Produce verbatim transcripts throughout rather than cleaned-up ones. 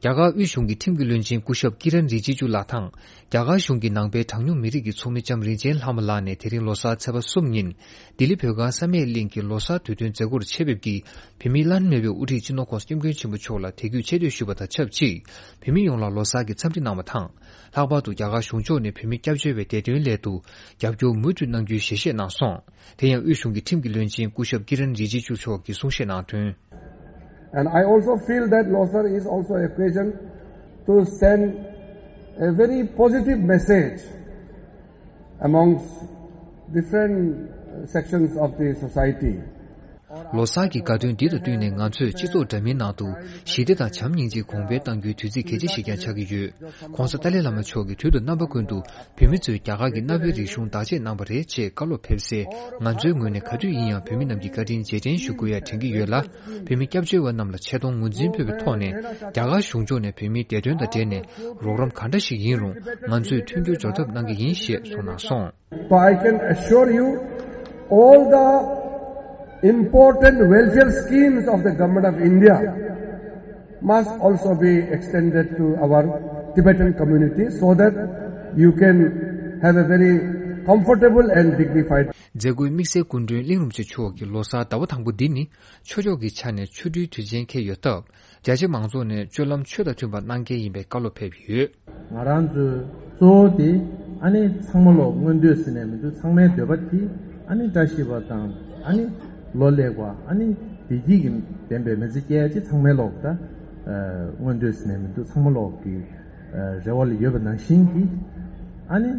རྒྱ་གར་དབུས་གཞུང་གི་ཁྲིམས་ཀྱི་བློན་ཆེན་སྐུ་ཞབས་ཀི་རན་རི་ཇི་ཇུ་ལགས་དང་། རྒྱ་གར་གཞུང་གི་ནང་པའི་གྲངས་ཉུང་མི་རིགས་ཀྱི་ཚོགས་མི་ལྕམ་རིན་ཆེན་ལྷ་མོ་ལགས་ནས་དེ་རིང་ལོ་གསར་ཚེས་པ་གསུམ་ཉིན། ལྡི་ལི་བོད་ཁང་བསམ་ཡས་གླིང་གི་ལོ་གསར་དུས་སྟོན་མཛད་སྒོར་ཆེད་ཕེབས་ཀྱིས། བོད་མིའི་བླ་ན་མེད་པའི་དབུ་ཁྲིད་སྤྱི་ནོར་༸གོང་ས་༸སྐྱབས་མགོན་ཆེན་པོ་མཆོག་ལ་དད་གུས་ཆེ་བསྟོད་ཞུས་པ་དང་ཆབས་ཅིག་བོད་མི་ཡོངས་ལ་ལོ་གསར་གྱི་འཚམས་འདྲི་གནང་བ་དང་། ལྷག་པར་དུ་རྒྱ་གར་གཞུང་ཕྱོགས་ནས་བོད་མི་སྐྱབས་བཅོལ་བའི་བདེ་དོན་སླད་དུ་རྒྱབ་སྐྱོར་མུ་མཐུད་གནང་རྒྱུའི་ཞལ་བཞེས་གནང་སོང་། དེ་ཡང་དབུས་གཞུང་གི་ཁྲིམས་ཀྱི་བློན་ཆེན་སྐུ་ཞབས་ཀི་རན་རི་ཇི་ཇུ་མཆོག་གིས་གསུང་བཤད་གནང་དོན། And I also feel that Losar is also an occasion to send a very positive message amongst different sections of the society. ལོ་གསར་གྱི་དགའ་སྟོན་འདི་དང་བསྟུན་ནས་ང་ཚོས་སྤྱི་ཚོགས་འདྲ་མིན་ནང་དུ་ཞི་བདེ་དང་བྱམས་སྙིང་རྗེ་གོང་འཕེལ་གཏང་རྒྱུའི་དུས་ཚིགས་གལ་ཆེ་ཞིག་ཀྱང་ཆགས་ཀྱི་ཡོད། ༸གོང་ས་ཏཱ་ལའི་བླ་མ་མཆོག་གིས་དུས་དང་རྣམ་པ་ཀུན་ཏུ་བོད་མི་ཚོས་རྒྱ་གར་གྱི་གནའ་བོའི་རིག་གཞུང་བདག་གཅེས་གནང་བ་རེད་ཅེས་བཀའ་སློབ་ཕེབས་སའི་ང་ཚོའི་ངོས་ནས་ག་དུས་ཡིན་ཡང་བོད་མི་རྣམས་ཀྱི་བཀའ་དྲིན་རྗེས་དྲན་ཞུ་དགོས་ཡ་དྲན་གྱི་ཡོད་ལ། བོད་མི་སྐྱབས་བཅོལ་བ་རྣམས་ལ་ཆེ་མཐོང་ངོས་འཛིན་ཕུལ་བའི་ཐོག་ནས་རྒྱ་གར་གཞུང་ཕྱོགས་ནས་བོད་མིའི་བདེ་དོན་དང་འབྲེལ་ནས་རོགས་རམ་ག་འདྲ་ཞིག་ཡིན་རུང་ང་ཚོས་མཐུན་འགྱུར་འཇོག་ཐབས་གནང་གི་ཡིན་ཞེས་གསུངས་གནང་སོང་། So I can assure you, all the important welfare schemes of the Government of India must also be extended to our Tibetan community so that you can have a very comfortable and dignified. མཛད་སྒོའི་དམིགས་བསལ་སྐུ་མགྲོན་གླིང་རིན་པོ་ཆེ་མཆོག་གིས་ལོ་གསར་ཟླ་བ་དང་པོ་འདི་ནི་ཆོས་ཕྱོགས་ཀྱི་ཆ་ནས་ཆོ་འཕྲུལ་དུས་ཆེན་འཁེལ་ཡོད་སྟབས། རྒྱ་ཆེ་མང་ཚོགས་ནས་སྤྱོད་ལམ་ཆོས་དང་མཐུན་པ་གནང་གལ་ཡིན་པའི་བཀའ་སློབ་ཕེབས་ཡོད། ང་རང་ཚོའི་གཙོ་བོ་དེ་ཨ་ནི་ཚང་མ་ལོག་མངོན་འདོད་ཟེར་ནས་མི་འདུག་ཚང་མའི་འདོད་པ་དེ་ཨ་ནི་བཀྲ་ཤིས་པ་དང་ཨ་ནི་ལོ་ལེགས་པ་ཨ་ནི་བདེ་སྐྱིད་ཀྱི་ལྡན་པའི་མི་ཚེ་སྐྱེལ་ཡ་ཅིག་ཚང་མའི་ལོག་ད་མངོན་འདོད་ཟེར་ནས་མི་འདུག་ཚང་མ་ལོག་གི་རེ་བ་ལ་ཡོད་པ་ནང་བཞིན་གྱི་ཨ་ནི་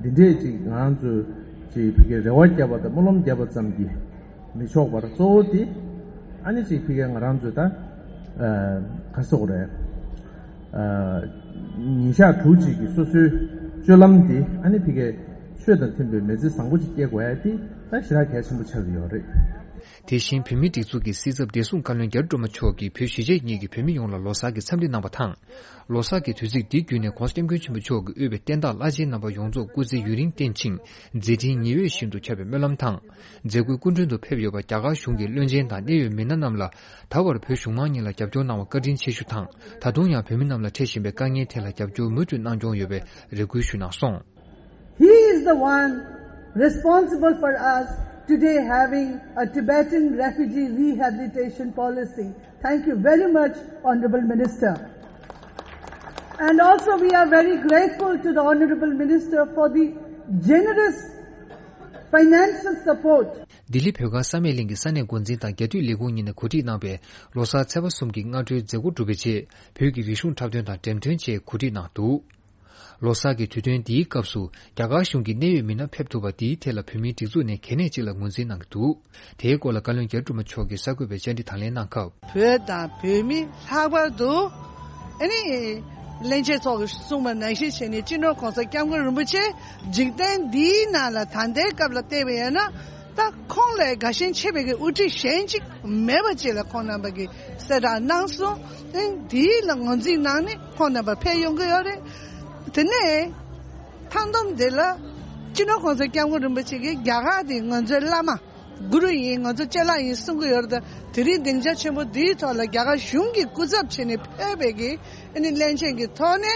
འདི་འདྲས་ཅིག་ང་རང་ཚོས་ཅིག་བོད་ཀྱི་རེ་བ་བརྒྱབ་པ་དང་སྨོན་ལམ་བརྒྱབ་པ་ཙམ་གྱིས། མི་ཆོག་པར་གཙོ་བོ་དེ་ཨ་ནི་ཅིག་ཕི་གའི་ང་རང་ཚོས་ད་ག་སོག་རེད། ཉིན་ཞག་དྲུག་ཅིག་གི་སོ་སོའི་སྤྱོད་ལམ་དེ་ཨ་ནི་ཕི་གའི་ཆོས་དང་མཐུན་པའི་མི་ཚེ་བཟང་པོ་ཅིག་སྐྱེལ་དགོས་ཡ་དེ་ད་ཞེ་དྲག་གལ་ཆེན་པོ་ཆགས་ཀྱི་ཡོད་རེད། དེ་བཞིན་བོད་མིའི་སྒྲིག་འཛུགས་ཀྱི་སྲིད་ཚབ་བདེ་སྲུང་བཀའ་བློན་རྒྱ་རི་སྒྲོལ་མ་མཆོག་གིས་བོད་གཞིས་བྱེས་གཉིས་ཀྱི་བོད་མི་ཡོངས་ལ་ལོ་གསར་གྱི་འཚམས་འདྲི་གནང་བ་དང་། ལོ་གསར་གྱི་དུས་ཚིགས་འདི་བརྒྱུད་ནས་༸གོང་ས་༸སྐྱབས་མགོན་ཆེན་པོ་མཆོག་གིས་དབུས་པའི་བསྟན་བདག་བླ་ཆེན་རྣམ་པ་ཡོངས་རྫོགས་སྐུ་ཚེ་ཡུན་རིང་བརྟན་ཅིང་མཛད་འཕྲིན་ཉི་འོད་བཞིན་དུ་ཁྱབ་པའི་སྨོན་ལམ་དང་། མཛད་སྒོའི་སྐུ་མགྲོན་དུ་ཕེབས་ཡོད་པ་རྒྱ་གར་གཞུང་གི་བློན་ཆེན་དང་གནད་ཡོད་མི་སྣ་རྣམས་ལ་ད་བར་བོད་གཞུང་མང་གཉིས་ལ་རྒྱབ་སྐྱོར་གནང་བར་བཀའ་དྲིན་ཆེ་ཞུ་དང་། ད་དུང་ཡང་བོད་མི་རྣམས་ལ་འཕྲད་བཞིན་པའི་དཀའ་ངལ་ཐད་ལ་རྒྱབ་སྐྱོར་མུ་མཐུད་གནང་སྐྱོང་ཡོད་པའི་རེ་སྐུལ་ཞུས་གནང་སོང་། He is the one responsible for us today having a Tibetan refugee rehabilitation policy. Thank you very much, Honorable Minister. And also, we are very grateful to the Honorable Minister for the generous financial support. ལྡི་ལི་བོད་ཁང་བསམ་ཡས་གླིང་གི་ས་གནས་འགོ་འཛིན་དང་རྒྱ་འཐུས་ལས་ཁུངས་གཉིས་ནས་གོ་སྒྲིག་གནང་བའི་ལོ་གསར་ཚེས་པ་གསུམ་གྱི་སྔ་དྲོའི་མཛད་སྒོ་གྲུབ་པའི་རྗེས། བོད་ཀྱི་རིག་གཞུང་འཁྲབ་སྟོན་དང་འགྲེམས་སྟོན་བཅས་གོ་སྒྲིག་གནང་འདུག་ལོ་གསར་གྱི་དུས་སྟོན་འདིའི་སྐབས་སུ་རྒྱ་གར་གཞུང་གི་གནད་ཡོད་མི་སྣ་ཕེབས་ཐུབ་པ་འདིའི་ཐད་ལ་བོད་མིའི་སྒྲིག་འཛུགས་ནས་གལ་གནད་ཅིག་ལ་ངོས་འཛིན་གནང་གི་འདུག་དེའི་སྐོར་ལ་བཀའ་བློན་རྒྱ་རི་སྒྲོལ་མ་མཆོག་གིས་གསར་འགོད་པའི་བཅར་འདྲི་དང་ལེན་གནང་སྐབས། བོད་དང་བོད་མི་ལྷག་པར་དུ་ཨ་ནི་བློན་ཆེན་མཆོག་གིས་གསུངས་པ་ནང་བཞིན་བྱས་ནས་སྤྱི་ནོར་༸གོང་ས་༸སྐྱབས་མགོན་རིན་པོ་ཆེ་འཇིག་རྟེན་འདིའི་ནང་ལ་ད་ལྟའི་སྐབས་ལ་བལྟས་པ་ཡིན་ན། ད་ཁོང་ལས་དགའ་ཞེན་ཆེ་བའི་གི་དབུ་ཁྲིད་གཞན་གཅིག་མེད་པ་ཅིག་ལ་ཁོང་རྣམ་པ་གིས་གསལ་བསྒྲགས་གནང་སོང་། ཨེ་འདིའི་ལ་ངོས་འཛིན་གནང་ནས་ཁོང་རྣམ་པ་ཕེབས་ཡོང་གི་ཡོད་རེད། དེ་ནས་མཐའ་སྡོམ་དེ་ལ་སྤྱི་ནོར་༸གོང་ས་༸སྐྱབས་མགོན་རིན་པོ་ཆེ་གིས་རྒྱ་གར་དེ་ང་ཚོའི་བླ་མ་གུ་རུ་ཡིན། ང་ཚོ་ཅ་ལག་ཡིན་གསུང་གི་ཡོད་རེད། ད་དེ་རིང་སྡིངས་ཆ་ཆེན་པོ་འདིའི་ཐོག་ལ་རྒྱ་གར་གཞུང་གིས་སྐུ་ཚབ་བྱས་ནས་ཕེབས་པའི་གི་ཨ་ནི་བློན་ཆེན་གྱི་ཐོག་ནས་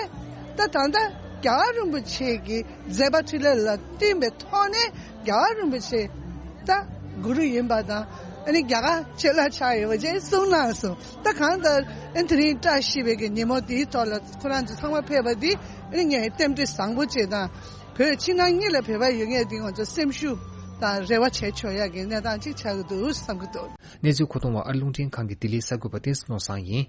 ད་ད་ལྟ་རྒྱལ་བ་རིན་པོ་ཆེ་གི་མཛད་པ་འཕྲིན་ལས་ལ་བསྟུན་པའི་ཐོག་ནས་རྒྱལ་བ་རིན་པོ་ཆེ་ད་གུ་རུ་ཡིན་པ་དང་ཨ་ནི་རྒྱ་གར་ཆེ་ལ་ཆགས་ཡོད་པ་བཅས་གསུངས་གནང་སོང་། ད་གང་ལྟར་ཨ་ནི་དེ་རིང་བཀྲ་ཤིས་པའི་གི་ཉིན་མོ་དེའི་ཐོག་ལ་ཁོ་རང་ཚོ་ཚང་མ་ཕེབས་པ་འདི་ཨ་ནི་ངས་རྟེན་འབྲེལ་བཟང་པོ་བྱེད་དང་བོད་ཕྱི་ནང་གཉིས་ལ་བོད་པ་ཡོད་མཁན་འདི་ང་ཚོ་སེམས་ཤུགས་དང་རེ་བ་བྱེད་ཆོག་ཡག་གི་གནས་སྟངས་ཅིག་ཆགས་ཀྱི་འདུག་བསམ་གྱི་འདུག་གནས་ཚུལ་མཁོ་གཏོང་བ་ཨ་རི་རླུང་འཕྲིན་ཁང་གི་ལྡི་ལིའི་གསར་འགོད་པ་བསྟན་འཛིན་ནོར་བཟང་ཡིན།